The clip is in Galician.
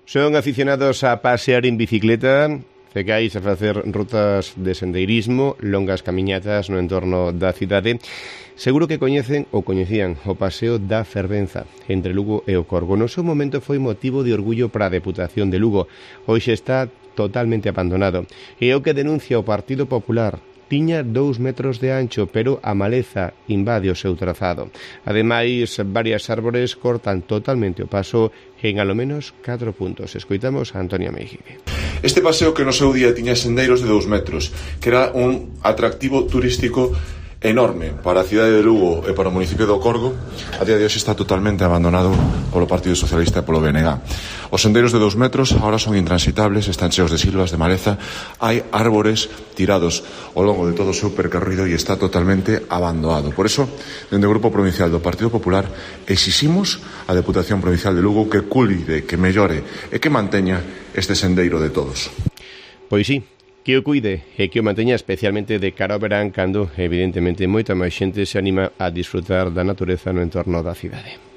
Son aficionados a pasear en bicicleta, cegais a facer rutas de sendeirismo, longas camiñatas no entorno da cidade. Seguro que coñecen ou coñecían o paseo da Fervenza entre Lugo e o Corgo. No seu momento foi motivo de orgullo para a Deputación de Lugo. Hoxe está totalmente abandonado. E o que denuncia o Partido Popular: tiña 2 metros de ancho, pero a maleza invade o seu trazado. Ademais, varias árbores cortan totalmente o paso en alo menos 4 puntos. Escoitamos a Antonio Meijique. Este paseo que no seu día tiña sendeiros de 2 metros, que era un atractivo turístico enorme para a cidade de Lugo e para o municipio do Corgo, a día de hoxe está totalmente abandonado polo Partido Socialista e polo BNG. Os sendeiros de 2 metros agora son intransitables, están cheos de silvas, de maleza, hai árbores tirados ao longo de todo o seu percorrido e está totalmente abandonado. Por eso, dende o Grupo Provincial do Partido Popular, exiximos á Deputación Provincial de Lugo que cuide, que mellore e que manteña este sendeiro de todos. Pois sí, que o cuide e que o manteña, especialmente de cara ao verán, cando evidentemente moita máis xente se anima a disfrutar da natureza no entorno da cidade.